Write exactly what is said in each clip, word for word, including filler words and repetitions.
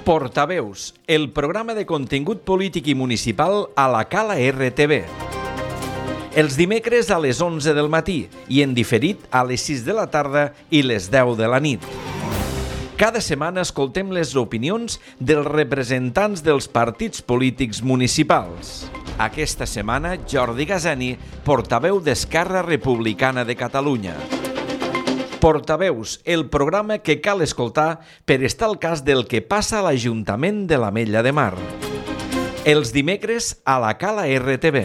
Portaveus, el programa de contingut polític i municipal a la Cala R T V. Els dimecres a les onze del matí i en diferit a les sis de la tarda i les deu de la nit. Cada setmana escoltem les opinions dels representants dels partits polítics municipals. Aquesta setmana, Jordi Gazani, portaveu d'Esquerra Republicana de Catalunya. Portaveus, el programa que cal escoltar per estar al cas del que passa a l'Ajuntament de l'Ametlla de Mar. Els dimecres a la Cala R T V.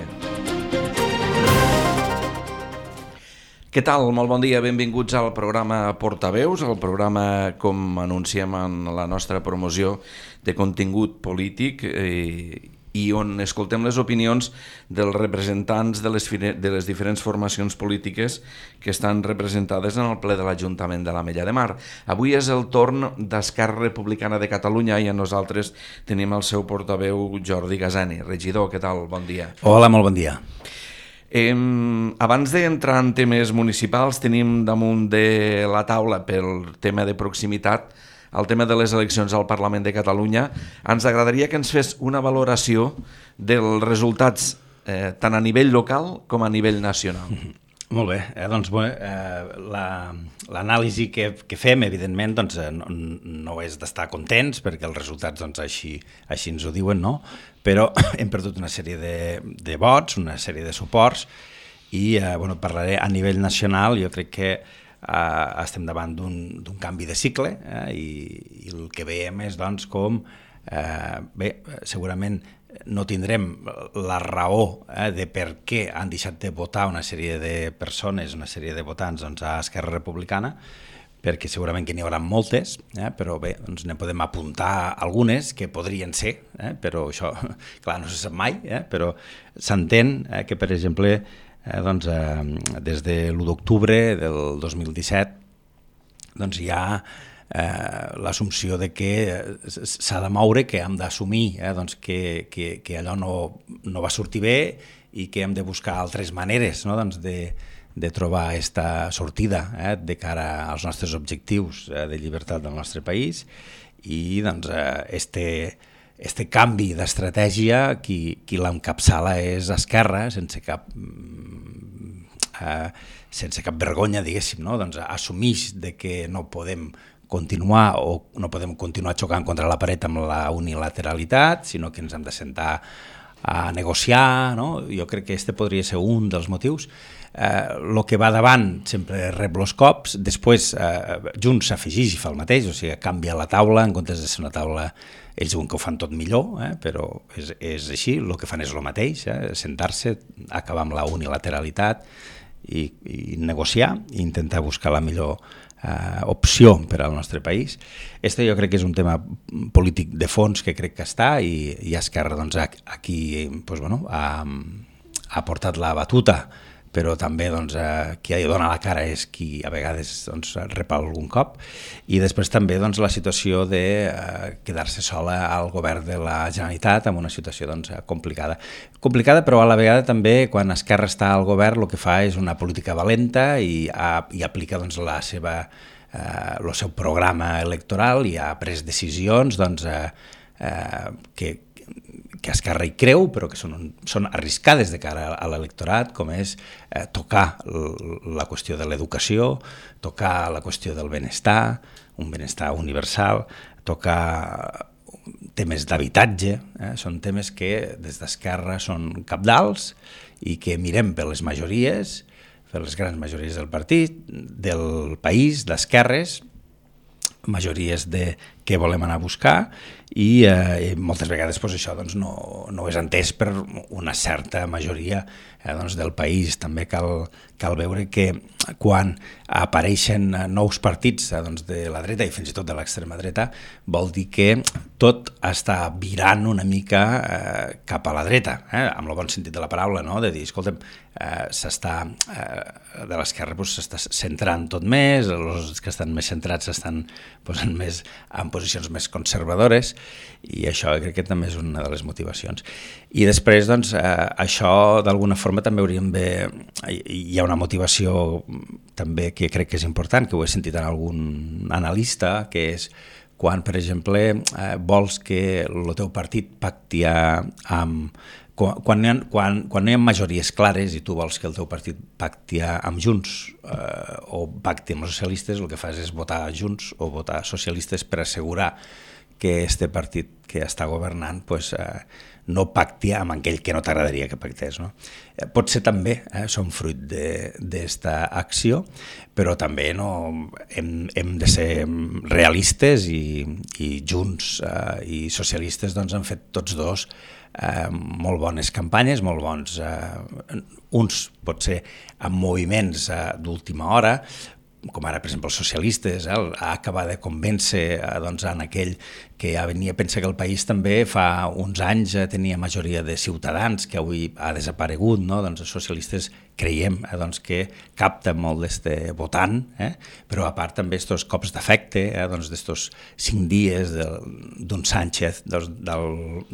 Què tal? Molt bon dia, benvinguts al programa Portaveus, el programa, com anunciem en la nostra promoció, de contingut polític eh, i on escoltem les opinions dels representants de les, de les diferents formacions polítiques que estan representades en el ple de l'Ajuntament de l'Ametlla de Mar. Avui és el torn d'Esquerra Republicana de Catalunya i a nosaltres tenim el seu portaveu Jordi Gazani. Regidor, què tal? Bon dia. Hola, molt bon dia. Eh, abans d'entrar en temes municipals, tenim damunt de la taula pel tema de proximitat el tema de les eleccions al Parlament de Catalunya. Ens agradaria que ens fes una valoració dels resultats eh, tant a nivell local com a nivell nacional. Molt bé, eh, doncs bé, eh, la, l'anàlisi que, que fem, evidentment, doncs, eh, no, no és d'estar contents, perquè els resultats doncs, així, així ens ho diuen, no? Però hem perdut una sèrie de, de vots, una sèrie de suports, i eh, bueno, parlaré a nivell nacional. Jo crec que eh, estem davant d'un, d'un canvi de cicle, eh, i, i el que veiem és doncs, com, eh, bé, segurament, no tindrem la raó eh, de per què han deixat de votar una sèrie de persones, una sèrie de votants doncs, a Esquerra Republicana, perquè segurament que n'hi haurà moltes, eh, però bé, doncs ne podem apuntar algunes que podrien ser, eh, però això, clar, no se sap mai, eh, però s'entén eh, que, per exemple, eh, doncs, eh, des de l'u d'octubre del dos mil disset doncs hi ha Eh, l'assumpció de que s'ha de moure, que hem d'assumir eh, doncs que, que, que allò no, no va sortir bé i que hem de buscar altres maneres, no? doncs de, de trobar aquesta sortida eh, de cara als nostres objectius eh, de llibertat del nostre país. I doncs eh, este, este canvi d'estratègia qui, qui l'encapçala és Esquerra, sense cap eh, sense cap vergonya, diguéssim, no? Doncs assumix de que no podem continuar o no podem continuar xocant contra la paret amb la unilateralitat, sinó que ens hem de sentar a negociar, no? Jo crec que este podria ser un dels motius. Eh, lo que va davant sempre rep els cops, després eh, Junts s'afegeix i fa el mateix, o sigui, canvia la taula, en comptes de ser una taula, ells diuen que ho fan tot millor, eh, però és, és així, el que fan és el mateix, eh, sentar-se, acabar amb la unilateralitat i, i negociar i intentar buscar la millor Uh, opció per al nostre país. Este jo crec que és un tema polític de fons que crec que està i, i Esquerra doncs, aquí pues, bueno, ha, ha portat la batuta, però també doncs, uh, qui dona la cara és qui a vegades doncs, rep algun cop. I després també doncs, la situació de uh, quedar-se sola al govern de la Generalitat en una situació doncs, complicada. Complicada, però a la vegada també quan Esquerra està al govern el que fa és una política valenta i, a, i aplica doncs, la seva, eh, el seu programa electoral i ha pres decisions doncs, eh, eh, que, que Esquerra hi creu, però que són, són arriscades de cara a l'electorat, com és eh, tocar la qüestió de l'educació, tocar la qüestió del benestar, un benestar universal, tocar temes d'habitatge, eh? Són temes que des d'Esquerra són cabdals i que mirem per les majories, per les grans majories del partit, del país, d'esquerres, majories de què volem anar a buscar i eh, moltes vegades pues, això doncs, no, no és entès per una certa majoria eh, doncs, del país. També cal, cal veure que quan apareixen nous partits eh, doncs, de la dreta i fins i tot de l'extrema dreta vol dir que tot està virant una mica eh, cap a la dreta, eh, amb el bon sentit de la paraula, no? De dir, escolta'm, eh, s'està, eh, de l'esquerra pues, s'està centrant tot més, els que estan més centrats s'estan posant més en posicions més conservadores i això crec que també és una de les motivacions. I després, doncs, eh, això d'alguna forma també hauríem de... Hi ha una motivació també que crec que és important, que ho he sentit en algun analista, que és quan, per exemple, eh, vols que el teu partit pacti amb... Quan, quan, ha, quan, quan no hi ha majories clares i tu vols que el teu partit pacti amb Junts eh, o pacti amb els socialistes, el que fas és votar Junts o votar socialistes per assegurar que este partit que està governant pues, eh, no pacti amb aquell que no t'agradaria que pactés. No? Eh, pot ser també, eh, són fruit d'esta acció, però també no, hem, hem de ser realistes i, i Junts eh, i socialistes doncs, han fet tots dos eh, molt bones campanyes, molt bons, eh, uns potser amb moviments eh, d'última hora, com ara, per exemple, els socialistes, eh, a acabar de convèncer eh, doncs, en aquell que ja venia a pensar que el país també fa uns anys eh, tenia majoria de ciutadans, que avui ha desaparegut, no? Doncs els socialistes creiem eh, doncs, que capten molt d'este votant, eh? Però a part també estos cops d'efecte, eh, doncs d'estos cinc dies d'un Sánchez, doncs,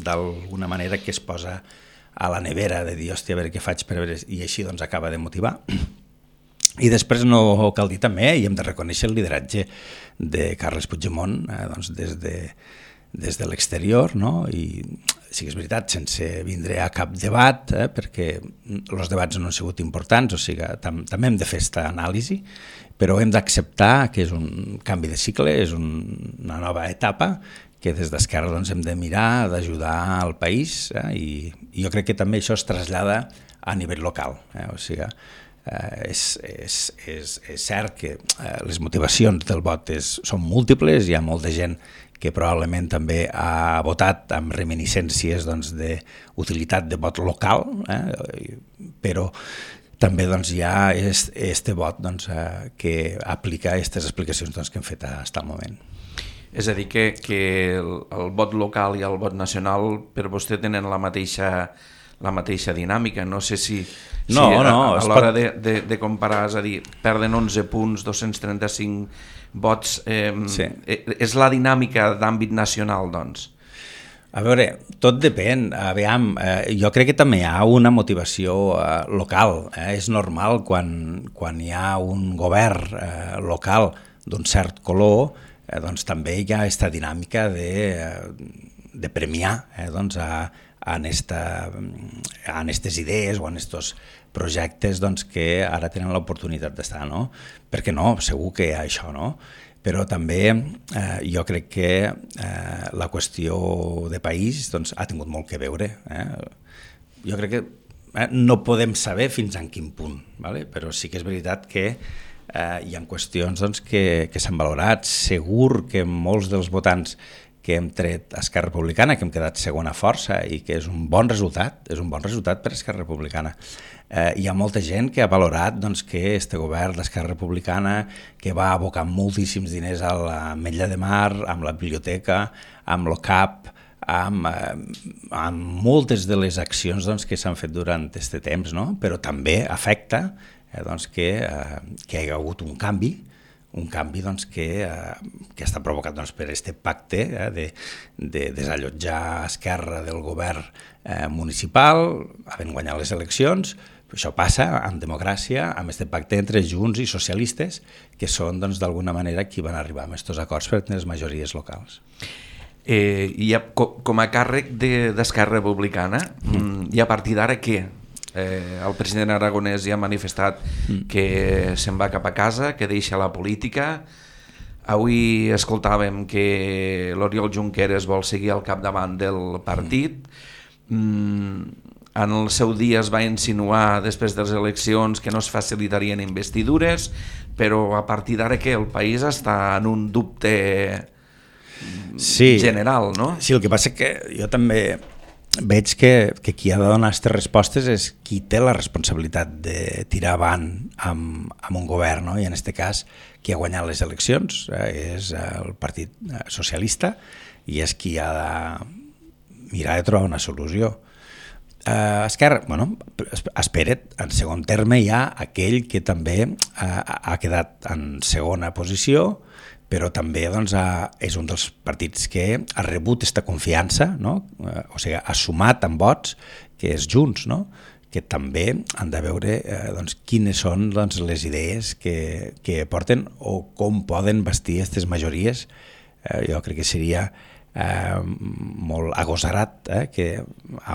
d'alguna manera que es posa a la nevera de dir, hòstia, a veure què faig per veure, i així doncs acaba de motivar. I després no cal dir també, i hem de reconèixer el lideratge de Carles Puigdemont eh, doncs des de, des de l'exterior, no? I sí que és veritat, sense vindre a cap debat, eh, perquè els debats no han sigut importants, o sigui, tam també hem de fer aquesta anàlisi, però hem d'acceptar que és un canvi de cicle, és un, una nova etapa, que des d'Esquerra doncs, hem de mirar d'ajudar al país, eh, i, i jo crec que també això es trasllada a nivell local, eh, o sigui, Uh, és, és, és, és cert que uh, les motivacions del vot és, són múltiples, hi ha molta gent que probablement també ha votat amb reminiscències doncs, d'utilitat de vot local, eh? Però també doncs, hi ha aquest vot doncs, uh, que aplica aquestes explicacions doncs, que hem fet fins al moment. És a dir, que, que el, el vot local i el vot nacional per vostè tenen la mateixa la mateixa dinàmica, no sé si, no, si a, no, a l'hora pot... de, de, de comparar, és a dir, perden onze punts, dos-cents trenta-cinc vots, eh, sí. És la dinàmica d'àmbit nacional, doncs? A veure, tot depèn, aviam, eh, jo crec que també hi ha una motivació eh, local, eh? És normal quan, quan hi ha un govern eh, local d'un cert color, eh, doncs també hi ha aquesta dinàmica de, de premiar eh, doncs a en aquestes idees o en aquests projectes doncs, que ara tenen l'oportunitat d'estar, no? Perquè no, segur que hi ha això, no? Però també eh, jo crec que eh, la qüestió de país doncs, ha tingut molt que veure. Eh? Jo crec que eh, no podem saber fins en quin punt, ¿vale? Però sí que és veritat que eh, hi ha qüestions doncs, que, que s'han valorat. Segur que molts dels votants que hem tret a Esquerra Republicana, que hem quedat segona força i que és un bon resultat, és un bon resultat per a Esquerra Republicana. Eh, hi ha molta gent que ha valorat doncs, que este govern d'Esquerra Republicana, que va abocar moltíssims diners a l'Ametlla de Mar, amb la biblioteca, amb l'O C A P, amb, eh, amb moltes de les accions doncs, que s'han fet durant aquest temps, no? Però també afecta eh, doncs, que, eh, que hi ha hagut un canvi, un canvi doncs, que, eh, que està provocat doncs, per aquest pacte eh, de, de desallotjar Esquerra del govern eh, municipal, havent guanyat les eleccions. Això passa en democràcia, amb aquest pacte entre Junts i socialistes, que són doncs, d'alguna manera qui van arribar amb aquests acords per les majories locals. Eh, i a, com a càrrec d'Esquerra Republicana, mm. i a partir d'ara què? Eh, el president Aragonès ja ha manifestat mm. que se'n va cap a casa, que deixa la política. Avui escoltàvem que l'Oriol Junqueras vol seguir al capdavant del partit. Mm. En el seu dia es va insinuar després de les eleccions que no es facilitarien investidures, però a partir d'ara que el país està en un dubte sí, general, no? Sí, el que passa és que jo també veig que, que qui ha de donar aquestes respostes és qui té la responsabilitat de tirar avant amb, amb un govern, no? I en aquest cas qui ha guanyat les eleccions eh, és el Partit Socialista i és qui ha de mirar de trobar una solució. Uh, Esquerra, bueno, espera't, en segon terme hi ha aquell que també uh, ha quedat en segona posició, però també doncs, ha, és un dels partits que ha rebut aquesta confiança, no? Uh, o sigui, ha sumat amb vots, que és Junts, no? Que també han de veure uh, doncs, quines són doncs, les idees que, que porten o com poden vestir aquestes majories eh, jo crec que seria eh, molt agosarat, eh, que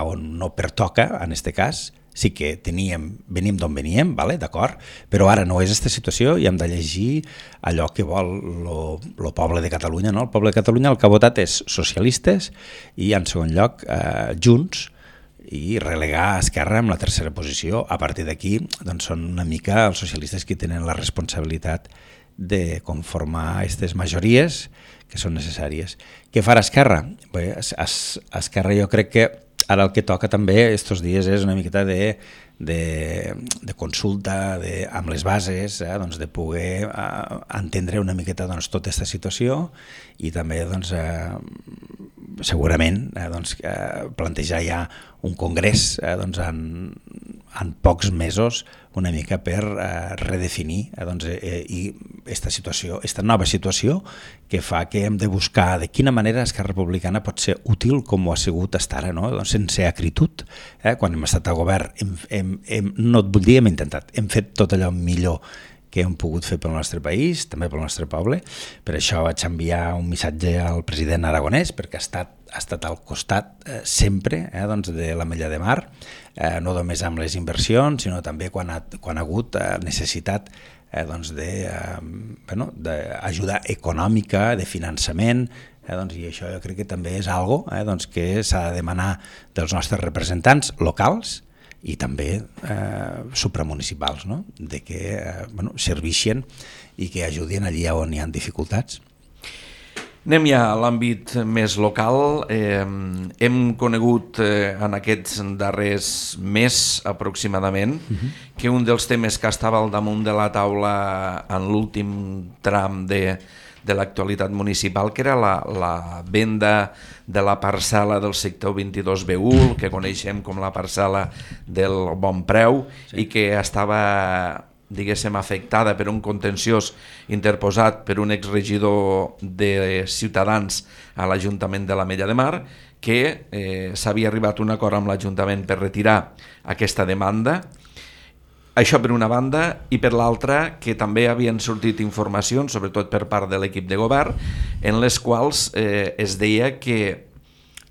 on no pertoca, en aquest cas, sí que teníem, venim d'on veníem, vale? D'acord, però ara no és aquesta situació i hem de llegir allò que vol el poble de Catalunya. No? El poble de Catalunya el que ha votat és socialistes i, en segon lloc, eh, Junts, i relegar Esquerra en la tercera posició. A partir d'aquí doncs són una mica els socialistes qui tenen la responsabilitat de conformar aquestes majories que són necessàries. Què farà Esquerra? Bé, Esquerra jo crec que ara el que toca també estos dies és una miqueta de, de, de consulta de, amb les bases, eh, doncs de poder eh, entendre una miqueta doncs, tota aquesta situació i també doncs, eh, segurament eh, doncs, eh, plantejar ja un congrés eh, doncs, en, en pocs mesos una mica per eh, redefinir eh, doncs, eh, i esta situació, esta nova situació que fa que hem de buscar de quina manera Esquerra Republicana pot ser útil com ho ha sigut fins ara, no? Doncs sense acritud. Eh? Quan hem estat a govern, hem, hem, hem, no et vull dir, hem intentat, hem fet tot allò millor que hem pogut fer pel nostre país, també pel nostre poble. Per això vaig enviar un missatge al president aragonès, perquè ha estat, ha estat al costat eh, sempre eh, doncs de l'Ametlla de Mar, eh, no només amb les inversions, sinó també quan ha, quan ha hagut eh, necessitat eh, doncs de, eh, bueno, d'ajuda econòmica, de finançament, eh, doncs, i això jo crec que també és algo eh, doncs, que s'ha de demanar dels nostres representants locals i també eh, supramunicipals, no? De que eh, bueno, serveixin i que ajudin allí on hi ha dificultats. Anem ja a l'àmbit més local. Eh, hem conegut eh, en aquests darrers mes aproximadament uh-huh. que un dels temes que estava al damunt de la taula en l'últim tram de, de l'actualitat municipal, que era la, la venda de la parcel·la del sector vint-i-dos B u, que coneixem com la parcel·la del Bon Preu, sí. I que estava, diguéssim, afectada per un contenciós interposat per un exregidor de Ciutadans a l'Ajuntament de l'Ametlla de Mar, que eh, s'havia arribat a un acord amb l'Ajuntament per retirar aquesta demanda. Això per una banda, i per l'altra que també havien sortit informacions, sobretot per part de l'equip de govern, en les quals eh, es deia que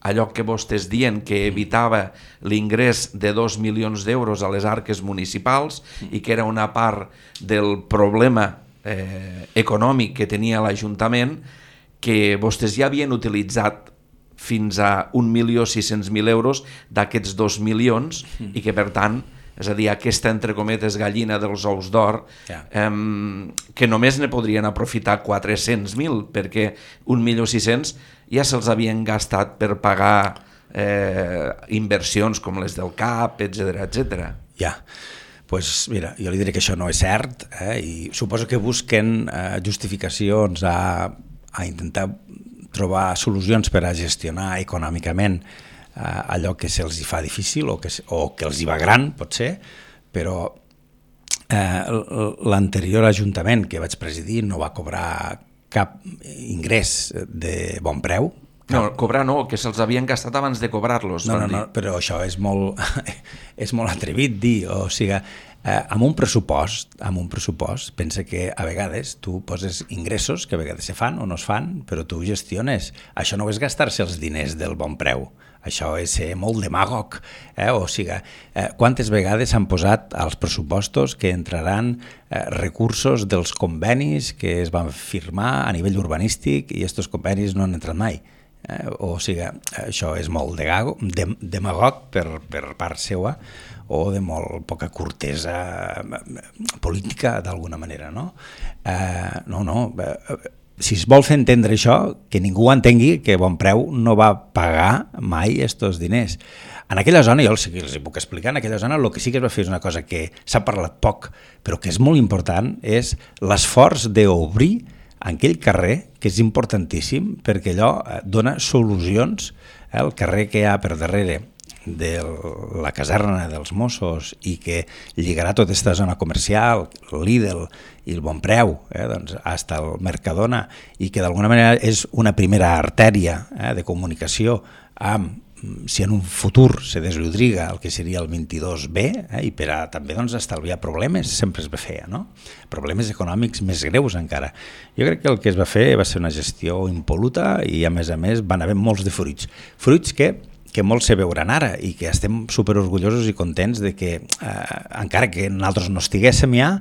allò que vostès dient que evitava l'ingrés de dos milions d'euros a les arques municipals i que era una part del problema eh, econòmic que tenia l'Ajuntament, que vostès ja havien utilitzat fins a un milió sis-cents mil euros d'aquests dos milions i que per tant, és a dir, aquesta entre cometes gallina dels ous d'or, yeah. eh, que només ne podrien aprofitar quatre-cents mil, perquè un milió sis-cents ja se'ls havien gastat per pagar eh, inversions com les del C A P, etcètera, etcètera. Ja, pues mira, jo li diré que això no és cert, eh, i suposo que busquen eh, justificacions a, a intentar trobar solucions per a gestionar econòmicament Uh, allò que se'ls fa difícil o que, o que els hi va gran, pot ser, però uh, l'anterior ajuntament que vaig presidir no va cobrar cap ingrés de bon preu. Cap... No, cobrar no, que se'ls havien gastat abans de cobrar-los. No, no, no, però això és molt, és molt atrevit dir, o sigui, eh, amb un pressupost, amb un pressupost, pensa que a vegades tu poses ingressos que a vegades se fan o no es fan, però tu gestiones. Això no és gastar-se els diners del bon preu. Això és ser molt demagog, eh? O sigui, eh, quantes vegades s'han posat als pressupostos que entraran eh, recursos dels convenis que es van firmar a nivell urbanístic i aquests convenis no han entrat mai. Eh? O sigui, això és molt de, demagog per, per part seva o de molt poca cortesa política d'alguna manera, no? Eh, no, no... Eh, si es vol fer entendre això, que ningú entengui que Bon Preu no va pagar mai aquests diners. En aquella zona, jo els, els puc explicar, en aquella zona el que sí que es va fer és una cosa que s'ha parlat poc, però que és molt important, és l'esforç d'obrir en aquell carrer, que és importantíssim, perquè allò dona solucions, eh, el carrer que hi ha per darrere de la caserna dels Mossos i que lligarà tota aquesta zona comercial, l'Idel i el Bon Preu, eh, doncs, fins al Mercadona, i que d'alguna manera és una primera artèria eh, de comunicació amb si en un futur se deslodriga el que seria el vint-i-dos B, eh, i per a també doncs, estalviar problemes, sempre es va fer, no? Problemes econòmics més greus encara. Jo crec que el que es va fer va ser una gestió impol·luta i a més a més van haver molts de fruits. Fruits que, que molts se veuran ara i que estem superorgullosos i contents de que, eh, encara que nosaltres no estiguéssim ja,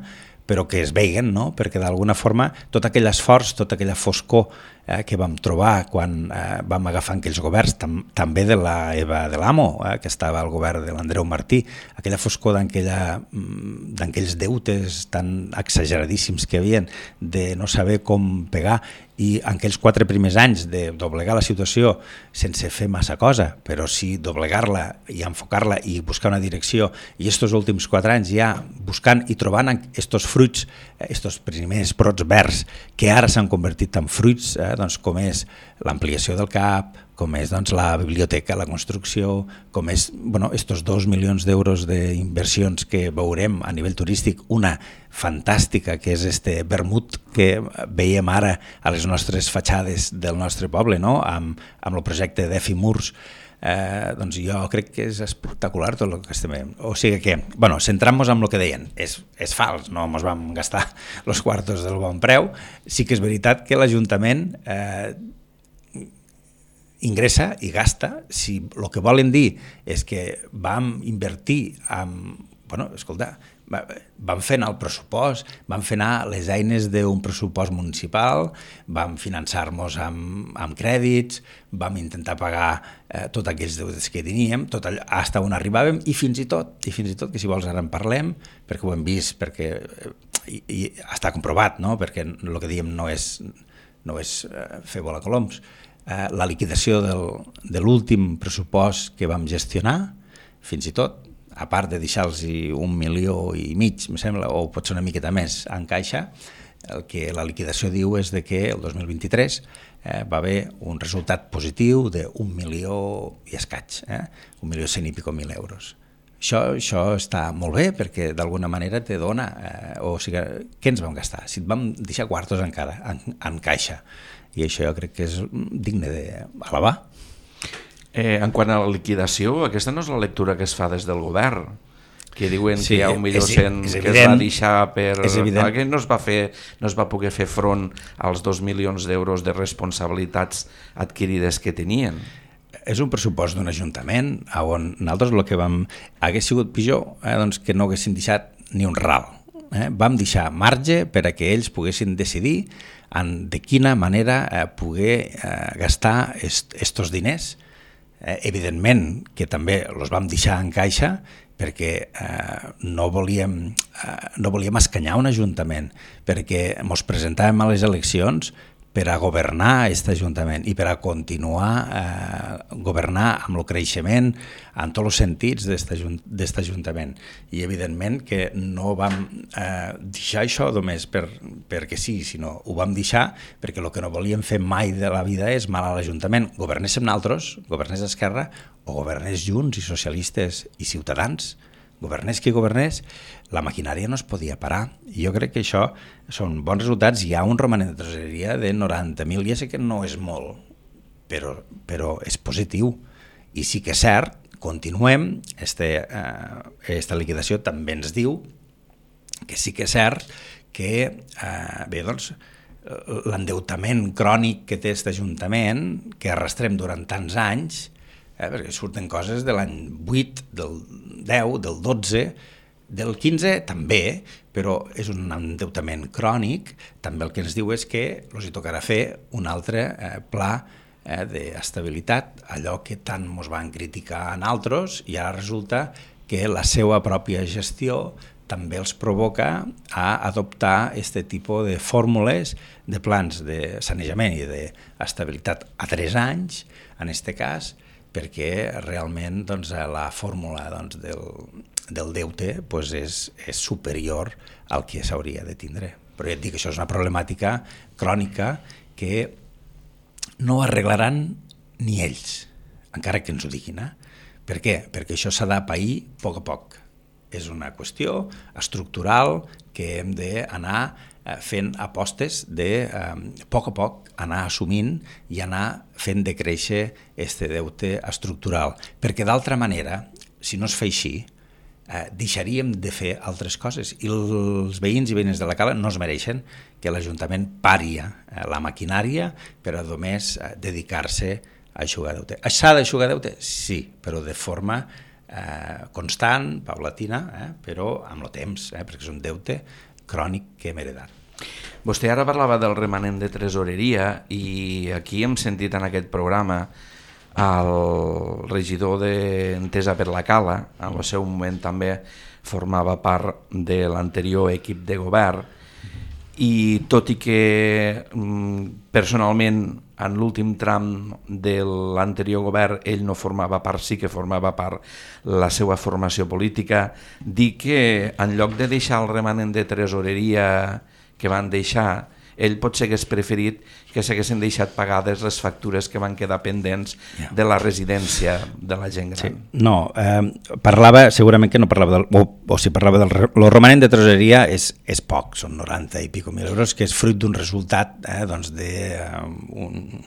però que es veiguen, no? Perquè d'alguna forma tot aquell esforç, tota aquella foscor eh, que vam trobar quan eh, vam agafar aquells governs, tam també de la Eva de l'Amo, eh, que estava al govern de l'Andreu Martí, aquella foscor d'aquells deutes tan exageradíssims que hi havia de no saber com pegar, i en aquells quatre primers anys de doblegar la situació sense fer massa cosa, però sí doblegar-la i enfocar-la i buscar una direcció, i estos últims quatre anys ja buscant i trobant estos fruits, estos primers brots verds que ara s'han convertit en fruits, eh, doncs com és l'ampliació del C A P, com és doncs, la biblioteca, la construcció, com és bueno, estos dos milions d'euros d'inversions que veurem a nivell turístic, una fantàstica que és este vermut que veiem ara a les nostres fatxades del nostre poble, no? amb, amb el projecte d'Efi Murs. Eh, doncs jo crec que és espectacular tot el que estem veient. O sigui que, bueno, centrant-nos en el que deien, és, és fals, no ens vam gastar els quartos del bon preu. Sí que és veritat que l'Ajuntament eh, ingressa i gasta. Si el que volen dir és que vam invertir en... Bueno, escolta, vam fer anar el pressupost, vam fer anar les eines d'un pressupost municipal, vam finançar-nos amb, amb crèdits, vam intentar pagar eh, tots aquells deutes que teníem, tot allò, fins on arribàvem, i fins i tot, i fins i tot, que si vols ara en parlem, perquè ho hem vist, perquè i, i està comprovat, no? Perquè el que diem no és, no és eh, fer volar coloms. Eh, la liquidació del, de l'últim pressupost que vam gestionar, fins i tot, a part de deixar-los un milió i mig, em sembla, o pot ser una miqueta més en caixa, el que la liquidació diu és de que el dos mil vint-i-tres eh, va haver un resultat positiu d'un milió i escaig, eh? un milió cent i pico mil euros. Això, això està molt bé perquè d'alguna manera te dona, eh, o sigui, què ens vam gastar? Si et vam deixar quartos encara en, en caixa, i això jo crec que és digne d'alabar. Eh, en quant a la liquidació, aquesta no és la lectura que es fa des del govern, que diuen sí, que hi ha un milió cent que es va deixar per... Que no es va fer, no es va poder fer front als dos milions d'euros de responsabilitats adquirides que tenien. És un pressupost d'un ajuntament on nosaltres el que vam... Hagués sigut pitjor eh, doncs que no haguessin deixat ni un ral. Eh? Vam deixar marge per a que ells poguessin decidir en de quina manera eh, poder eh, gastar est, estos diners. Eh, evidentment que també els vam deixar en caixa perquè eh, no, volíem, eh, no volíem escanyar un ajuntament, perquè ens presentàvem a les eleccions per a governar aquest ajuntament i per a continuar eh, governar amb el creixement en tots els sentits d'aquest ajuntament. I evidentment que no vam eh, deixar això només per, perquè sí, sinó ho vam deixar perquè el que no volíem fer mai de la vida és mal a l'Ajuntament. Governéssim nosaltres, governés Esquerra o governés Junts i Socialistes i Ciutadans, governés qui governés, la maquinària no es podia parar. I jo crec que això són bons resultats. Hi ha un romanent de tresoreria de noranta mil, ja sé que no és molt, però, però és positiu. I sí que és cert, continuem, este, eh, esta liquidació també ens diu que sí que és cert que eh, bé, doncs, l'endeutament crònic que té aquest ajuntament, que arrastrem durant tants anys, eh, perquè surten coses de l'any vuit, del deu, del dotze, del quinze també, però és un endeutament crònic. També el que ens diu és que els hi tocarà fer un altre eh, pla eh, d'estabilitat, allò que tant ens van criticar en altres, i ara resulta que la seva pròpia gestió també els provoca a adoptar aquest tipus de fórmules de plans de sanejament i d'estabilitat a tres anys, en aquest cas, perquè realment doncs, la fórmula doncs, del, del deute doncs, és, és superior al que s'hauria de tindre. Però ja et dic, això és una problemàtica crònica que no arreglaran ni ells, encara que ens ho diguin. Eh? Per què? Perquè això s'ha de pair a poc a poc. És una qüestió estructural que hem d'anar eh, fent apostes de, eh, a poc a poc, anar assumint i anar fent decréixer este deute estructural. Perquè d'altra manera, si no es fa així, eh, deixaríem de fer altres coses i els veïns i veïnes de la Cala no es mereixen que l'Ajuntament pari eh, la maquinària per a només eh, dedicar-se a eixugar deute. S'ha d'eixugar deute? Sí, però de forma eh, constant, paulatina, eh, però amb el temps, eh, perquè és un deute crònic que hem heredat. Vostè ara parlava del remanent de tresoreria i aquí hem sentit en aquest programa el regidor d'Entesa per la Cala, en el seu moment també formava part de l'anterior equip de govern, i tot i que personalment en l'últim tram de l'anterior govern ell no formava part, sí que formava part la seva formació política, dir que en lloc de deixar el remanent de tresoreria que van deixar, ell potser hagués preferit que s'haguessin deixat pagades les factures que van quedar pendents de la residència de la gent gran. Sí. No, eh, parlava, segurament que no parlava del, o, o si parlava del el romanent de tresoreria és, és poc, són noranta i pico mil euros, que és fruit d'un resultat eh, doncs de, uh, un,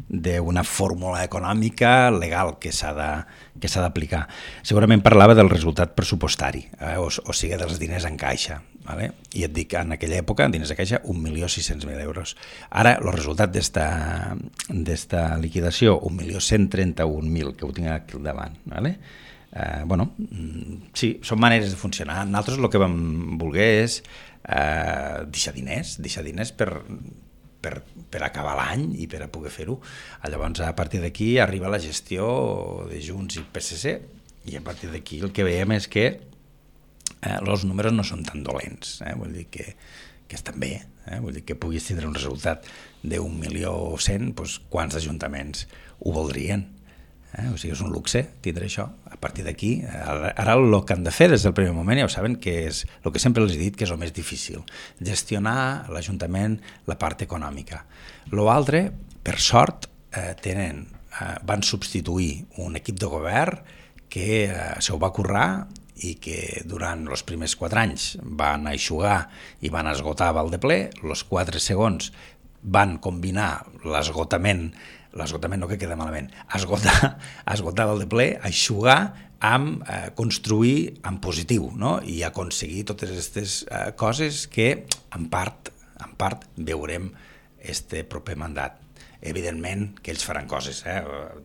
d'una fórmula econòmica legal que s'ha de, que s'ha d'aplicar. Segurament parlava del resultat pressupostari, eh, o, o sigui, dels diners en caixa. Vale? I et dic, en aquella època, en diners de caixa, un milió sis-cents mil euros. Ara, el resultat d'esta liquidació, un milió cent trenta-un mil, que ho tinc aquí al davant. Vale? Eh, bueno, sí, són maneres de funcionar. Nosaltres el que vam voler és eh, deixar diners, deixar diners per, per, per acabar l'any i per a poder fer-ho. Llavors, a partir d'aquí arriba la gestió de Junts i P S C i a partir d'aquí el que veiem és que Eh, els números no són tan dolents, eh? Vull dir que, que estan bé, eh? Vull dir que puguis tindre un resultat d'un milió cent, doncs quants ajuntaments ho voldrien? Eh? O sigui, és un luxe tindre això. A partir d'aquí, ara, ara el que han de fer des del primer moment ja ho saben que és el que sempre els he dit que és el més difícil, gestionar l'Ajuntament la part econòmica. L'altre, per sort, eh, tenen, eh, van substituir un equip de govern que eh, se ho va currar i que durant els primers quatre anys van eixugar i van esgotar Val de Ple, els quatre segons van combinar l'esgotament, l'esgotament no que queda malament, esgotar, esgotar Val de Ple, eixugar amb eh, construir en positiu, no? I aconseguir totes aquestes eh, coses que en part, en part veurem este proper mandat. Evidentment que ells faran coses, eh?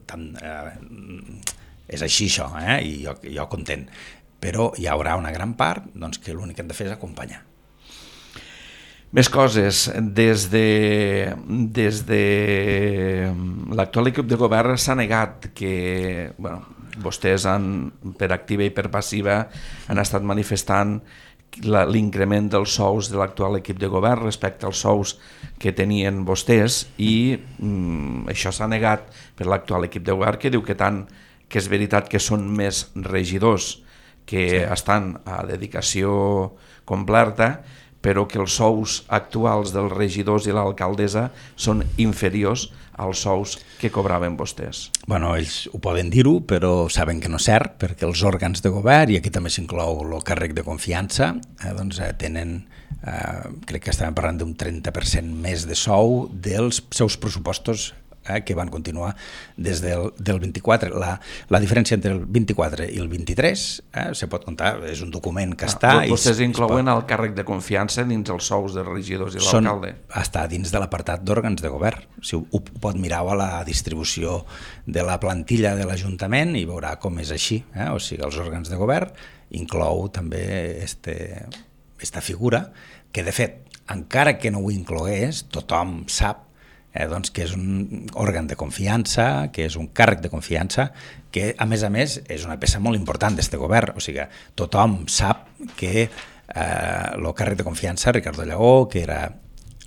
Tant, eh, és així això, eh? I jo, jo content. Però hi haurà una gran part doncs, que l'únic que hem de fer és acompanyar. Més coses. Des de, des de l'actual equip de govern s'ha negat que bueno, vostès han, per activa i per passiva han estat manifestant l'increment dels sous de l'actual equip de govern respecte als sous que tenien vostès i mm, això s'ha negat per l'actual equip de govern que diu que tant que és veritat que són més regidors que sí. Estan a dedicació completa, però que els sous actuals dels regidors i l'alcaldessa són inferiors als sous que cobraven vostès. Bueno, ells ho poden dir-ho, però saben que no és cert, perquè els òrgans de govern, i aquí també s'inclou el càrrec de confiança, eh, doncs eh, tenen, eh, crec que estàvem parlant d'un trenta per cent més de sou dels seus pressupostos Eh, que van continuar des del, del vint-i-quatre. La, la diferència entre el vint-i-quatre i el vint-i-tres eh, se pot comptar, és un document que està... Ah, vostès i inclouen pot... el càrrec de confiança dins els sous dels regidors i l'alcalde? Està dins de l'apartat d'òrgans de govern. Si ho, ho pot mirar a la distribució de la plantilla de l'Ajuntament i veurà com és així. Eh? O sigui, els òrgans de govern inclou també este, esta figura que, de fet, encara que no ho inclogués, tothom sap Eh, doncs que és un òrgan de confiança, que és un càrrec de confiança, que a més a més és una peça molt important d'este govern, o sigui, tothom sap que eh, el càrrec de confiança, Ricardo Llagó, que era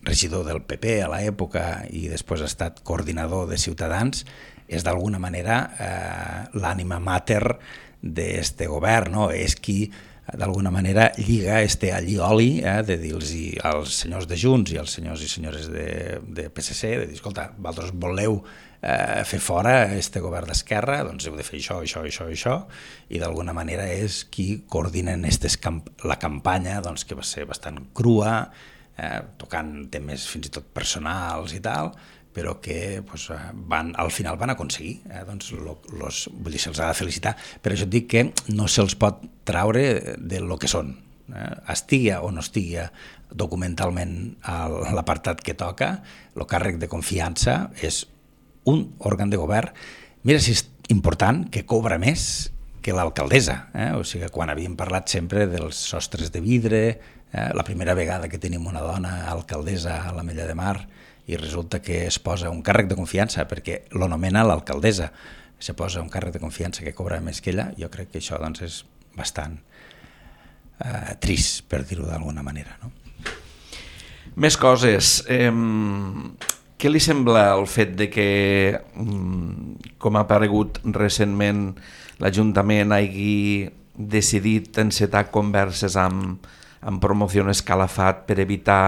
regidor del P P a l'època i després ha estat coordinador de Ciutadans, és d'alguna manera eh, l'ànima mater d'este govern, no? És qui d'alguna manera lliga este allioli eh, de dir-los als senyors de Junts i als senyors i senyores de, de P S C, de dir, escolta, vosaltres voleu eh, fer fora este govern d'esquerra, doncs heu de fer això, això, això, això, i d'alguna manera és qui coordinen estes camp la campanya, doncs, que va ser bastant crua, eh, tocant temes fins i tot personals i tal, però que pues, van, al final van aconseguir. Eh? Doncs lo, los, vull dir, se'ls ha de felicitar. Per això et dic que no se'ls pot traure de lo que són. Eh? Estigui o no estigui documentalment a l'apartat que toca, el càrrec de confiança és un òrgan de govern, mira si és important, que cobra més que l'alcaldessa. Eh? O sigui, quan havíem parlat sempre dels sostres de vidre, eh? la primera vegada que tenim una dona alcaldessa a l'Ametlla de Mar, i resulta que es posa un càrrec de confiança perquè l'anomena l'alcaldessa, se posa un càrrec de confiança que cobra més que ella, jo crec que això doncs, és bastant eh, trist, per dir-ho d'alguna manera. No? Més coses. Eh, què li sembla el fet de que, com ha aparegut recentment, l'Ajuntament hagi decidit encetar converses amb, amb Promoció Escalafat per evitar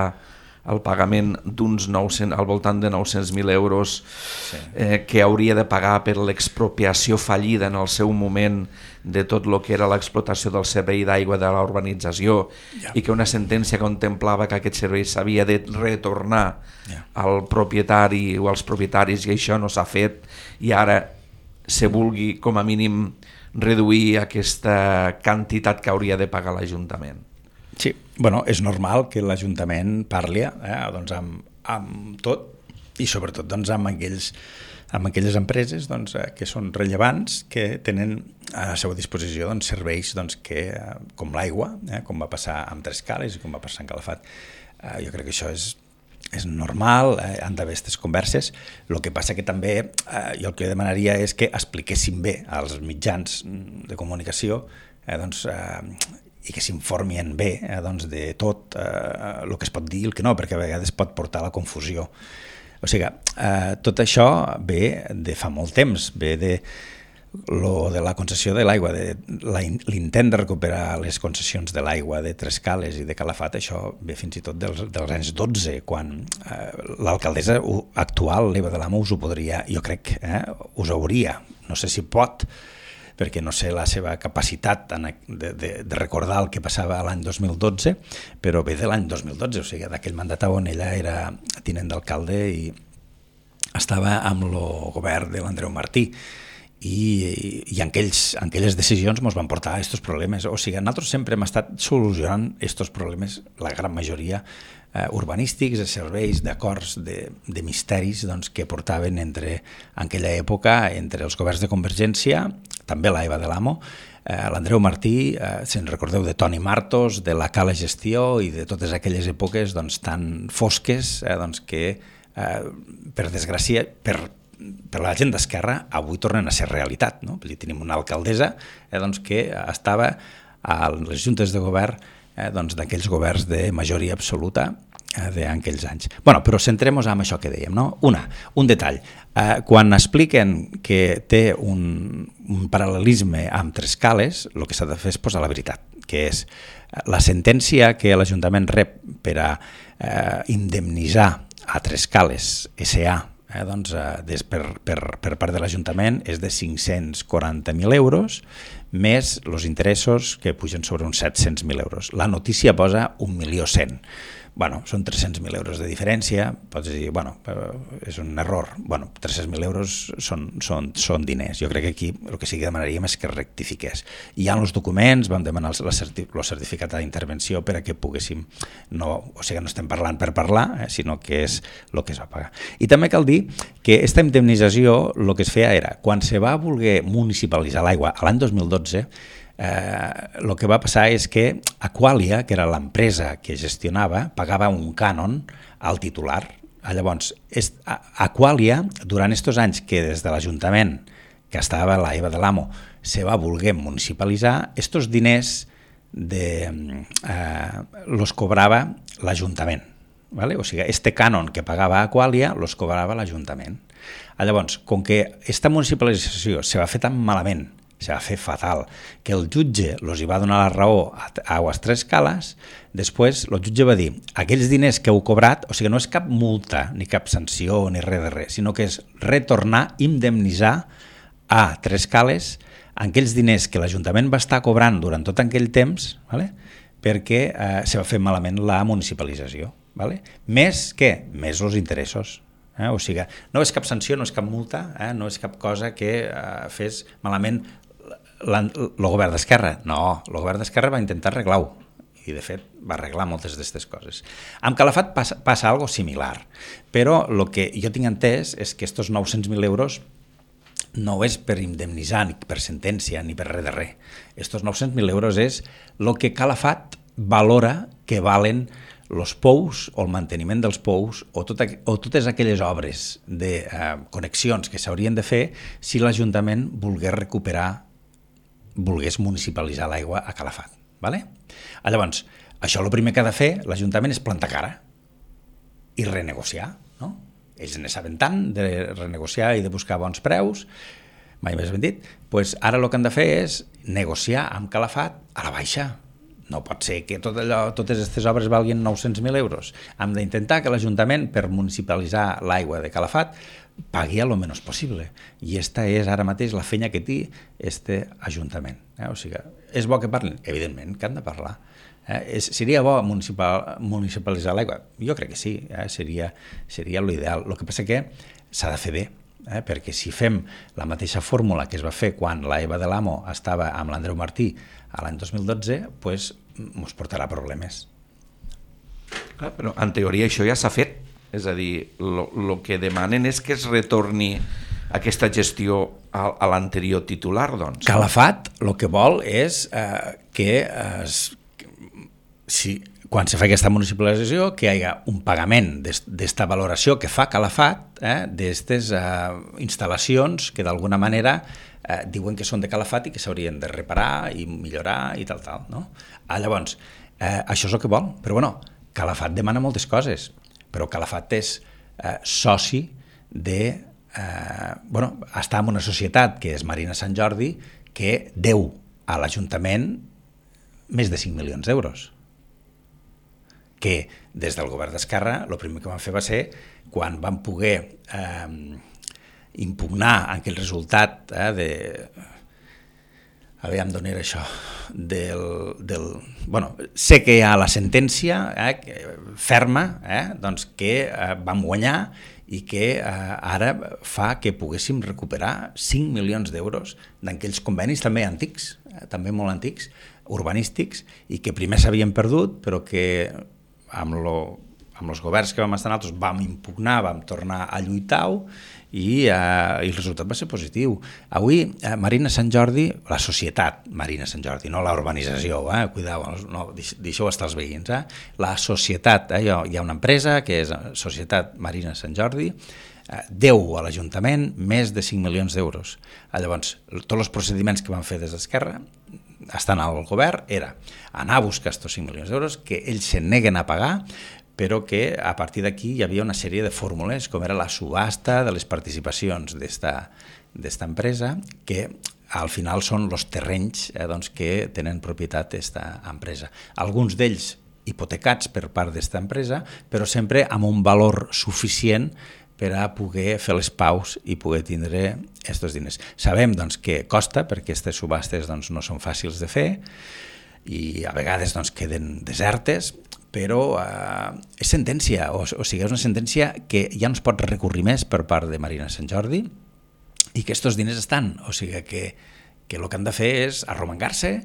el pagament d'uns nou-cents, al voltant de nou-cents mil euros sí. eh, que hauria de pagar per l'expropiació fallida en el seu moment de tot el que era l'explotació del servei d'aigua de la urbanització yeah. i que una sentència contemplava que aquest servei s'havia de retornar yeah. al propietari o als propietaris, i això no s'ha fet, i ara se vulgui com a mínim reduir aquesta quantitat que hauria de pagar l'Ajuntament. Sí, bueno, és normal que l'Ajuntament parli eh, doncs amb, amb tot i sobretot doncs, amb, aquells, amb aquelles empreses doncs, eh, que són rellevants, que tenen a la seva disposició doncs, serveis doncs, que, eh, com l'aigua, eh, com va passar amb Trescales i com va passar en Calafat. Eh, jo crec que això és, és normal, eh, han d'haver aquestes converses. El que passa que també eh, jo el que demanaria és que expliquessin bé als mitjans de comunicació eh, doncs, eh, i que s'informien bé eh, doncs de tot eh, el que es pot dir i el que no, perquè a vegades pot portar a la confusió. O sigui, eh, tot això ve de fa molt temps, ve de, lo de la concessió de l'aigua, de l'intent de recuperar les concessions de l'aigua de Trescales i de Calafat, això ve fins i tot dels, dels anys dotze, quan eh, l'alcaldessa actual, l'Eva de l'Amo, us ho podria, jo crec, eh, us hauria, no sé si pot, perquè no sé la seva capacitat de, de, de recordar el que passava l'any dos mil dotze, però ve de l'any dos mil dotze, o sigui, d'aquell mandat on ella era tinent d'alcalde i estava amb el govern de l'Andreu Martí, i, i en, aquells, en aquelles decisions ens van portar a aquests problemes. O sigui, nosaltres sempre hem estat solucionant aquests problemes, la gran majoria, eh, urbanístics, de serveis, d'acords, de, de misteris doncs, que portaven entre, en aquella època entre els governs de Convergència, també l'Eva de l'Amo, eh, l'Andreu Martí, eh, si ens recordeu de Toni Martos, de la Cala Gestió i de totes aquelles èpoques doncs, tan fosques eh, doncs, que, eh, per desgràcia, per, per la gent d'Esquerra, avui tornen a ser realitat. No? Tenim una alcaldessa eh, doncs, que estava a les juntes de govern eh, doncs, d'aquells governs de majoria absoluta d'aquells anys. Bueno, però centrem-nos en això que dèiem, no? Una, un detall. Eh, quan expliquen que té un, un paral·lelisme amb Trescales, el que s'ha de fer és posar la veritat, que és la sentència que l'Ajuntament rep per a eh, indemnitzar a Trescales S A eh, doncs, eh, des, per, per, per part de l'Ajuntament és de cinc-cents quaranta mil euros més els interessos que pugen sobre uns set-cents mil euros. La notícia posa un milió cent. Bueno, són tres-cents mil euros de diferència, pots dir, bueno, és un error. Bueno, tres-cents mil euros són, són, són diners. Jo crec que aquí el que sí que demanaríem és que rectifiqués. Hi ha els documents, vam demanar el certificat d'intervenció per a que poguéssim, no, o sigui, no estem parlant per parlar, eh, sinó que és el que es va pagar. I també cal dir que aquesta indemnització, el que es feia era, quan se va voler municipalitzar l'aigua a l'any dos mil dotze, el eh, que va passar és que Aqualia, que era l'empresa que gestionava, pagava un cànon al titular. Llavors, est, Aqualia, durant aquests anys que des de l'Ajuntament, que estava la Eva de l'Amo, se va voler municipalitzar, aquests diners de, eh, los cobrava l'Ajuntament. ¿Vale? O sigui, este cànon que pagava Aqualia los cobrava l'Ajuntament. Llavors, com que aquesta municipalització se va fer tan malament, se va fer fatal, que el jutge els hi va donar la raó a Aguas Trescales, després el jutge va dir aquells diners que heu cobrat, o sigui, no és cap multa, ni cap sanció, ni res de res, sinó que és retornar, indemnitzar a Trescales aquells diners que l'Ajuntament va estar cobrant durant tot aquell temps, ¿vale? Perquè eh, se va fer malament la municipalització. Vale? Més què? Més els interessos. Eh? O sigui, no és cap sanció, no és cap multa, eh? no és cap cosa que eh, fes malament el govern d'Esquerra. No, el govern d'Esquerra va intentar arreglar-ho i de fet va arreglar moltes d'aquestes coses. Amb Calafat passa, passa algo similar, però el que jo tinc entès és que aquests nou-cents mil euros no és per indemnitzar, ni per sentència, ni per res de res. Aquests nou-cents mil euros és el que Calafat valora que valen els pous o el manteniment dels pous o, tot, o totes aquelles obres de eh, connexions que s'haurien de fer si l'Ajuntament volgués recuperar, volgués municipalitzar l'aigua a Calafat. Vale? Llavors, això el primer que ha de fer l'Ajuntament és plantar cara i renegociar. No? Ells ne saben tant de renegociar i de buscar bons preus, mai més ben dit, doncs ara el que han de fer és negociar amb Calafat a la baixa. No pot ser que tot allò, totes aquestes obres valguin nou-cents mil euros. Hem d'intentar que l'Ajuntament, per municipalitzar l'aigua de Calafat, pagui el menys possible. I aquesta és ara mateix la feina que té este Ajuntament. Eh? O sigui, és bo que parlin? Evidentment que han de parlar. Eh? És, seria bo municipal, municipalitzar l'aigua? Jo crec que sí, eh? seria, seria l'ideal. El que passa que s'ha de fer bé, eh? perquè si fem la mateixa fórmula que es va fer quan la Eva de l'Amo estava amb l'Andreu Martí a l'any dos mil dotze, doncs ens portarà problemes. Clar, però en teoria això ja s'ha fet, és a dir, el que demanen és que es retorni aquesta gestió a, a l'anterior titular, doncs. Calafat el que vol és eh, que es, si, quan se fa aquesta municipalització que hi hagi un pagament d'esta valoració que fa Calafat eh, d'aquestes eh, instal·lacions que d'alguna manera eh, diuen que són de Calafat i que s'haurien de reparar i millorar i tal, tal. No? Ah, llavors, eh, això és el que vol, però bueno, Calafat demana moltes coses, però Calafat és eh, soci de... Eh, bueno, està en una societat que és Marina Sant Jordi que deu a l'Ajuntament més de cinc milions d'euros. Que des del govern d'Esquerra el primer que van fer va ser quan van poder eh, impugnar aquell resultat eh, de... Aviam d'on era això, del, del, bueno, sé que hi ha la sentència eh, ferma eh, doncs que eh, vam guanyar i que eh, ara fa que poguéssim recuperar cinc milions d'euros d'aquells convenis també antics, eh, també molt antics, urbanístics, i que primer s'havien perdut, però que amb, lo, amb els governs que vam estar nosaltres vam impugnar, vam tornar a lluitar-ho, i, eh, i el resultat va ser positiu. Avui, eh, Marina Sant Jordi, la societat Marina Sant Jordi, no la urbanització, eh, cuidao, no, deixeu estar els veïns, eh, la societat, eh, hi, ha, hi ha una empresa que és Societat Marina Sant Jordi, eh, deu a l'Ajuntament més de cinc milions d'euros. Eh, llavors, tots els procediments que van fer des d'Esquerra, estan al govern, era anar a buscar aquests cinc milions d'euros, que ells se neguen a pagar, però que a partir d'aquí hi havia una sèrie de fórmules, com era la subhasta de les participacions d'esta empresa, que al final són els terrenys eh, doncs, que tenen propietat aquesta empresa. Alguns d'ells hipotecats per part d'esta empresa, però sempre amb un valor suficient per a poder fer les paus i poder tindre aquests diners. Sabem doncs, que costa, perquè aquestes subhastes doncs, no són fàcils de fer i a vegades doncs, queden desertes, però eh, és sentència, o, o sigui, és una sentència que ja no es pot recurrir més per part de Marina Sant Jordi i que aquests diners estan, o sigui que, que el que han de fer és arromangar-se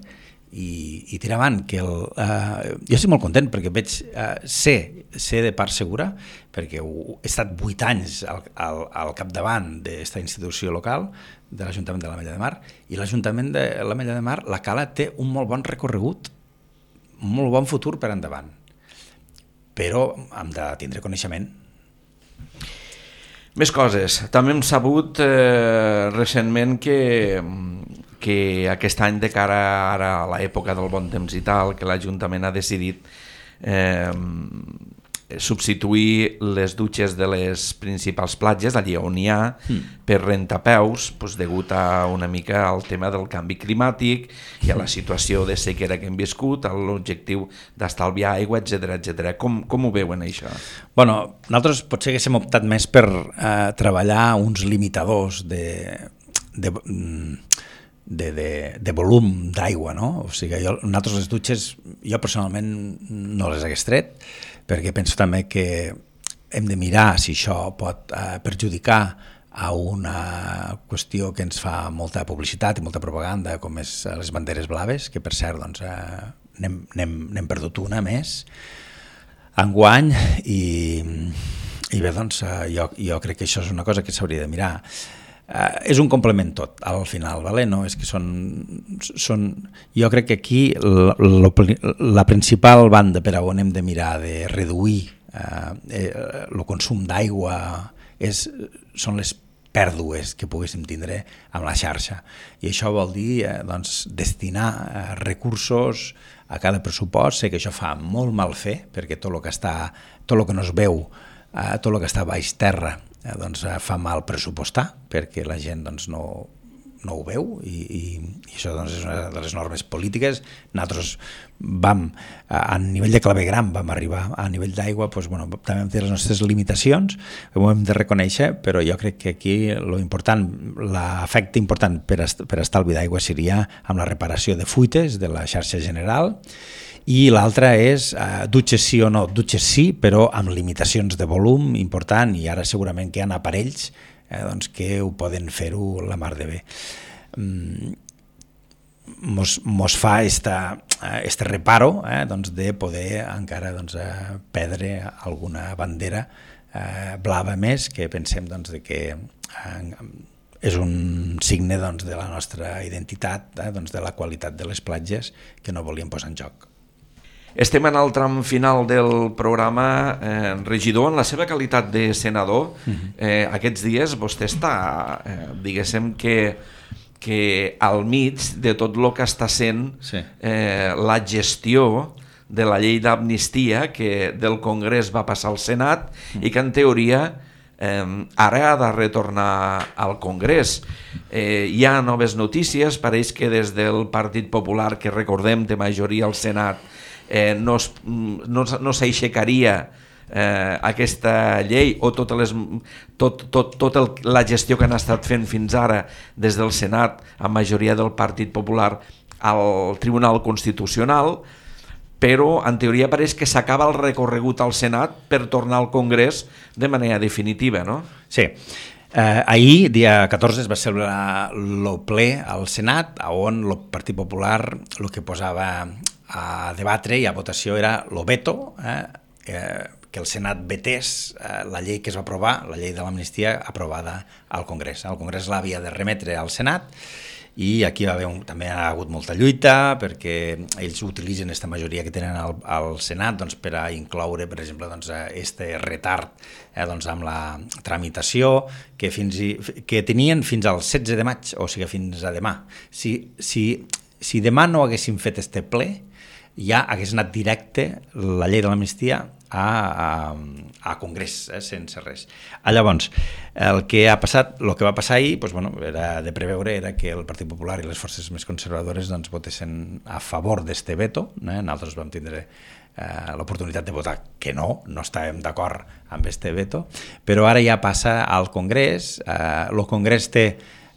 i, i tirar avant. Que el, eh, jo estic molt content perquè veig, eh, sé, sé de part segura, perquè he estat vuit anys al, al, al capdavant d'aquesta institució local, de l'Ajuntament de l'Ametlla de Mar, i l'Ajuntament de l'Ametlla de Mar, la Cala té un molt bon recorregut, un molt bon futur per endavant, però hem de tindre coneixement. Més coses. També hem sabut eh, recentment que, que aquest any, de cara ara a l'època del bon temps i tal, que l'Ajuntament ha decidit eh, substituir les dutxes de les principals platges, allà on hi ha, mm. per rentapeus, doncs, degut a una mica al tema del canvi climàtic i a la situació de sequera que hem viscut, a l'objectiu d'estalviar aigua, etcètera, etcètera. Com, com ho veuen, això? Bueno, nosaltres potser haguéssim optat més per eh, treballar uns limitadors de... de De, de, de volum d'aigua, no? O sigui, jo, nosaltres les dutxes, jo personalment no les hagués tret, perquè penso també que hem de mirar si això pot eh, perjudicar a una qüestió que ens fa molta publicitat i molta propaganda, com és les banderes blaves, que per cert doncs, eh, n'hem, n'hem, n'hem perdut una més enguany, i, i bé, doncs, eh, jo, jo crec que això és una cosa que s'hauria de mirar. Uh, és un complement tot, al final, vale? No? És que són, són, jo crec que aquí la, la, la principal banda per a on hem de mirar de reduir uh, eh, el consum d'aigua és, són les pèrdues que poguéssim tindre amb la xarxa, i això vol dir eh, doncs, destinar eh, recursos a cada pressupost. Sé que això fa molt mal fer, perquè tot el que està, tot el que no es veu, eh, tot el que està baix terra, Eh, doncs, eh, fa mal pressupostar, perquè la gent doncs, no, no ho veu, i, i, i això doncs, és una de les normes polítiques. Nosaltres vam, a, a nivell de clavegram vam arribar, a nivell d'aigua doncs, bueno, també hem de les nostres limitacions, ho hem de reconèixer, però jo crec que aquí lo important, l'efecte important per, est, per estalvi d'aigua seria amb la reparació de fuites de la xarxa general, i l'altra és eh, dutxes sí o no, dutxes sí, però amb limitacions de volum important, i ara segurament que hi ha aparells eh, doncs, que ho poden fer-ho la mar de bé. Mm, mos, mos fa esta, este reparo eh, doncs, de poder encara doncs, eh, perdre alguna bandera eh, blava més, que pensem doncs, de que eh, és un signe doncs, de la nostra identitat, eh, doncs, de la qualitat de les platges, que no volíem posar en joc. Estem en el tram final del programa. Eh, regidor, en la seva qualitat de senador, eh, aquests dies vostè està, eh, diguéssim que, que al mig de tot el que està sent sí. eh, la gestió de la llei d'amnistia que del Congrés va passar al Senat mm. i que en teoria eh, ara ha de retornar al Congrés. Eh, hi ha noves notícies, pareix que des del Partit Popular, que recordem té majoria al Senat, Eh, no, es, no, no s'aixecaria eh, aquesta llei, o totes les, tot, tot, tot el, la gestió que han estat fent fins ara des del Senat, amb majoria del Partit Popular, al Tribunal Constitucional, però en teoria pareix que s'acaba el recorregut al Senat per tornar al Congrés de manera definitiva, no? Sí. Eh, ahir, dia catorze, es va celebrar el ple al Senat, on el Partit Popular el que posava a debatre i a votació era el veto, eh, eh, que el Senat vetés eh, la llei que es va aprovar, la llei de l'amnistia aprovada al Congrés. El Congrés l'havia de remetre al Senat, i aquí va haver un, també ha hagut molta lluita, perquè ells utilitzen aquesta majoria que tenen al, al Senat doncs, per a incloure, per exemple, doncs, este retard eh, doncs, amb la tramitació que, fins i, que tenien fins al setze de maig, o sigui, fins a demà. Si, si, si demà no haguéssim fet este ple, ja hagués anat directe la llei de l'amnistia a, a, a Congrés, eh, sense res. Ah, llavors, el que ha passat, el que va passar ahir, doncs, bueno, era de preveure, era que el Partit Popular i les forces més conservadores doncs, votessin a favor d'este veto. Eh? Nosaltres vam tindre eh, l'oportunitat de votar que no, no estàvem d'acord amb este veto, però ara ja passa al Congrés. Eh, el Congrés té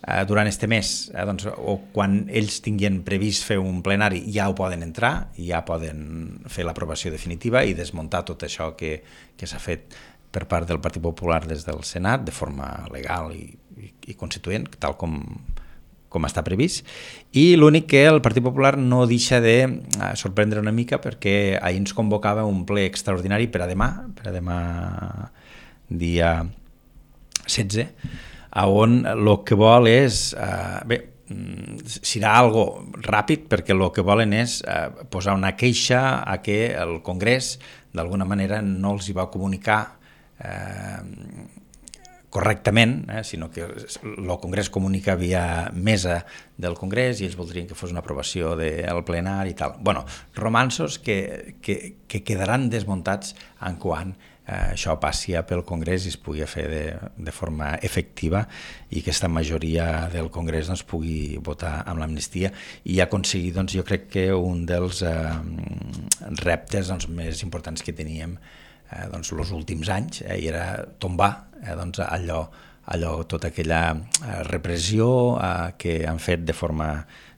Uh, durant este mes, eh, doncs, o quan ells tinguin previst fer un plenari, ja ho poden entrar, i ja poden fer l'aprovació definitiva i desmuntar tot això que, que s'ha fet per part del Partit Popular des del Senat de forma legal i, i, i constituent, tal com, com està previst. I l'únic que el Partit Popular no deixa de uh, sorprendre una mica, perquè ahir ens convocava un ple extraordinari per a demà, per a demà dia setze, on el que vol és, eh, bé, serà algo ràpid, perquè el que volen és eh, posar una queixa a que el Congrés d'alguna manera no els hi va comunicar eh, correctament, eh, sinó que el Congrés comunica via mesa del Congrés i ells voldrien que fos una aprovació del plenari i tal. Bueno, romanços que, que, que quedaran desmuntats en quan Eh, això passi pel Congrés i es pugui fer de, de forma efectiva, i aquesta majoria del Congrés doncs, pugui votar amb l'amnistia i aconseguir, doncs, jo crec que un dels eh, reptes doncs, més importants que teníem eh, doncs, els últims anys, eh, i era tombar eh, doncs, allò, allò, tota aquella eh, repressió eh, que han fet de forma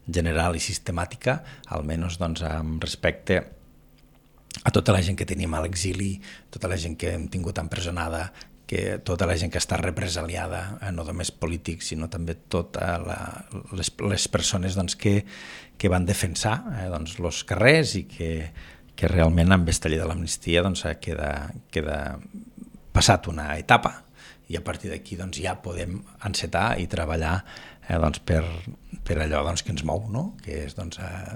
general i sistemàtica, almenys doncs, amb respecte a tota la gent que tenim a l'exili, tota la gent que hem tingut empresonada, que tota la gent que està represaliada, eh, no només polítics, sinó també totes les, les persones doncs, que, que van defensar eh, doncs, els carrers i que, que realment amb aquesta llei de l'amnistia doncs, queda, queda passat una etapa i a partir d'aquí doncs, ja podem encetar i treballar eh, doncs, per, per allò doncs, que ens mou, no? Que és doncs, eh,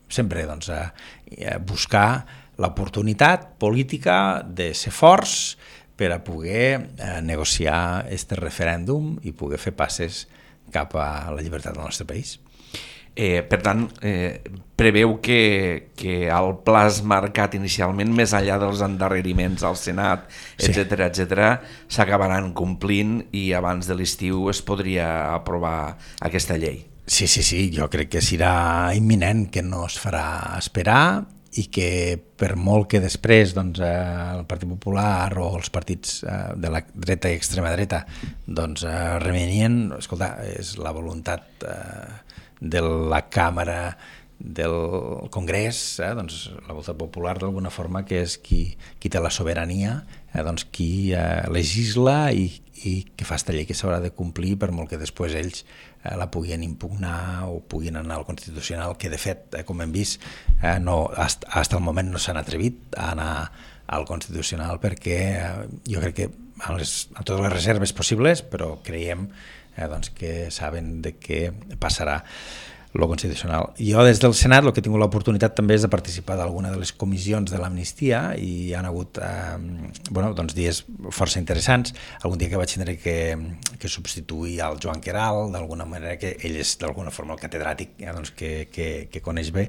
sempre doncs, eh, buscar l'oportunitat política de ser forts per a poder eh, negociar aquest referèndum i poder fer passes cap a la llibertat del nostre país. Eh, per tant, eh, preveu que, que el pla marcat inicialment, més enllà dels endarreriments al Senat, etcètera, sí. etcètera, s'acabaran complint i abans de l'estiu es podria aprovar aquesta llei. Sí, sí, sí, jo crec que serà imminent, que no es farà esperar i que per molt que després doncs, el Partit Popular o els partits de la dreta i extrema dreta doncs, remenien, escolta, és la voluntat de la Càmera del Congrés, eh, doncs, la voluntat popular d'alguna forma, que és qui, qui té la sobirania, eh, doncs, qui eh, legisla i, i que fa aquesta llei que s'haurà de complir per molt que després ells eh, la puguin impugnar o puguin anar al Constitucional, que de fet, eh, com hem vist, eh, no, hasta, hasta el moment no s'han atrevit a anar al Constitucional perquè eh, jo crec que amb, les, amb totes les reserves possibles, però creiem eh, doncs, que saben de què passarà lo Constitucional. Jo des del Senat el que he tingut l'oportunitat també és de participar d'alguna de les comissions de l'amnistia i hi ha hagut eh, bueno, doncs dies força interessants. Algun dia que vaig tindre que, que substituir al Joan Queralt, d'alguna manera que ell és d'alguna forma el catedràtic eh, doncs, que, que, que coneix bé,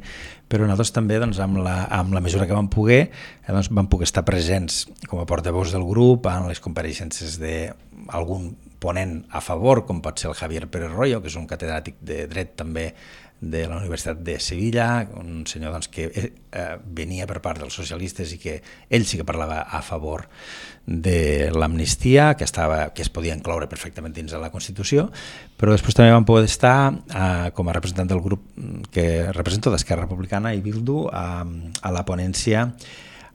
però nosaltres també doncs, amb, la, amb la mesura que vam poder eh, doncs, vam poder estar presents com a portaveus del grup en les compareixences d'algun ponent a favor, com pot ser el Javier Pérez Royo, que és un catedràtic de dret també de la Universitat de Sevilla, un senyor doncs, que eh, venia per part dels socialistes i que ell sí que parlava a favor de l'amnistia, que, estava, que es podia incloure perfectament dins de la Constitució, però després també vam poder estar eh, com a representant del grup que represento d'Esquerra Republicana i Bildu a, a la ponència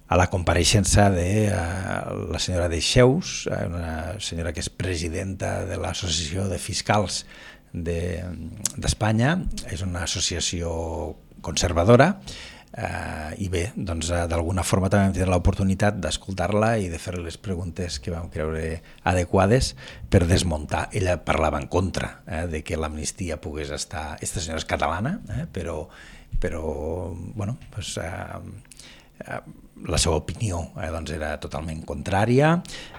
a la compareixença de uh, la senyora Deixeus, una senyora que és presidenta de l'Associació de Fiscals d'Espanya, de, és una associació conservadora, uh, i bé, doncs, uh, d'alguna forma també vam tenir l'oportunitat d'escoltar-la i de fer les preguntes que vam creure adequades per desmuntar. Ella parlava en contra eh, de que l'amnistia pogués estar... Aquesta senyora és catalana, eh, però, però bueno, doncs... Uh, la seva opinió eh, doncs era totalment contrària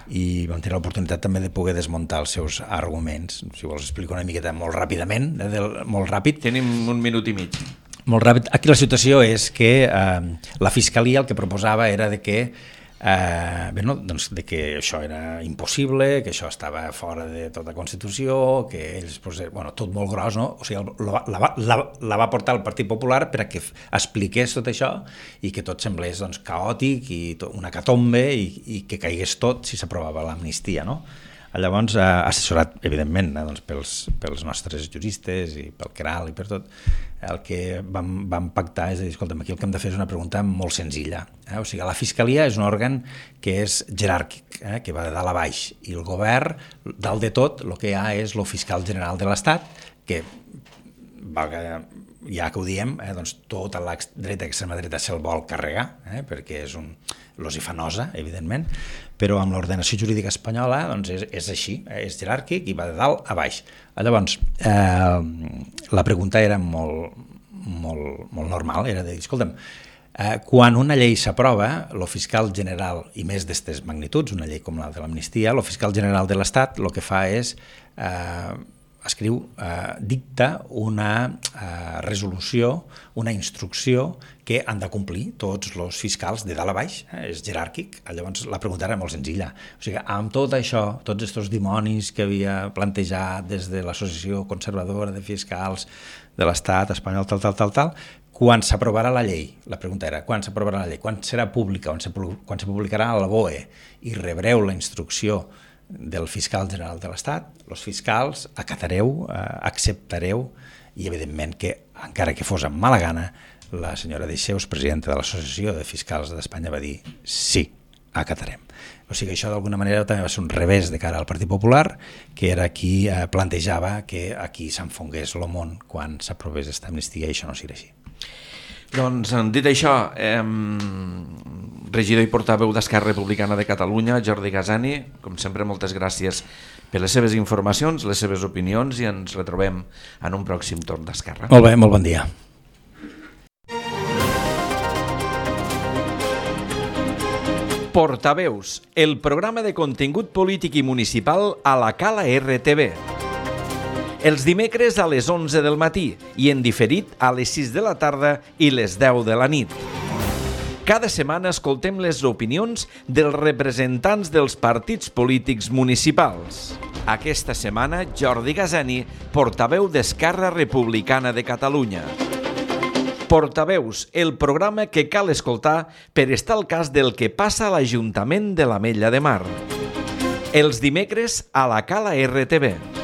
i vam tenir l'oportunitat també de poder desmuntar els seus arguments. Si vols explico una miqueta molt ràpidament, eh, del, molt ràpid. Tenim un minut i mig. Molt ràpid. Aquí la situació és que eh, la Fiscalia el que proposava era de que Eh, bé, no, doncs de que això era impossible, que això estava fora de tota Constitució, que ells, pues, bueno, tot molt gros, no? O sigui, la, la, la, la va portar el Partit Popular per a que expliqués tot això i que tot semblés doncs, caòtic i tot, una catombe i, i que caigués tot si s'aprovava l'amnistia, no? Llavors, eh, assessorat, evidentment, eh, doncs pels, pels nostres juristes i pel Queralt i per tot, el que vam, vam pactar és dir, escolta'm, aquí el que hem de fer és una pregunta molt senzilla. Eh? O sigui, la Fiscalia és un òrgan que és jeràrquic, eh? que va de dalt a baix, i el govern, dalt de tot, el que hi ha és el fiscal general de l'Estat, que, ja que ho diem, eh? doncs tota la dreta i extrema dreta se'l vol carregar, eh? perquè és un... los hi fa nosa, evidentment, però amb l'ordenació jurídica espanyola doncs és, és així, és jeràrquic i va de dalt a baix. Llavors, eh, la pregunta era molt, molt, molt normal, era de dir, escolta'm, eh, quan una llei s'aprova, el fiscal general, i més d'aquestes magnituds, una llei com la de l'amnistia, el fiscal general de l'Estat el que fa és... Eh, escriu, eh, dicta una eh, resolució, una instrucció que han de complir tots els fiscals de dalt a baix, eh, és jeràrquic. Llavors la pregunta era molt senzilla. O sigui, amb tot això, tots aquests dimonis que havia plantejat des de l'Associació Conservadora de Fiscals de l'Estat espanyol, tal, tal, tal, tal, quan s'aprovarà la llei, la pregunta era, quan s'aprovarà la llei, quan serà pública, quan se publicarà a la B O E i rebreu la instrucció del fiscal general de l'Estat, els fiscals acatareu, eh, acceptareu i evidentment que encara que fos amb mala gana la senyora Deixeus, presidenta de l'Associació de Fiscals d'Espanya, va dir sí, acatarem. O sigui, això d'alguna manera també va ser un revés de cara al Partit Popular, que era qui eh, plantejava que aquí s'enfongués el món quan s'aprovés aquesta amnistia, i això no sigui així. Doncs, dit això, eh, regidor i portaveu d'Esquerra Republicana de Catalunya, Jordi Gasani, com sempre, moltes gràcies per les seves informacions, les seves opinions, i ens retrobem en un pròxim torn d'Esquerra. Molt bé, molt bon dia. Portaveus, el programa de contingut polític i municipal a la Cala R T V. Els dimecres a les onze del matí i en diferit a les sis de la tarda i les deu de la nit. Cada setmana escoltem les opinions dels representants dels partits polítics municipals. Aquesta setmana, Jordi Gasani, portaveu d'Esquerra Republicana de Catalunya. Portaveus, el programa que cal escoltar per estar al cas del que passa a l'Ajuntament de l'Ametlla de Mar. Els dimecres a la Cala R T V.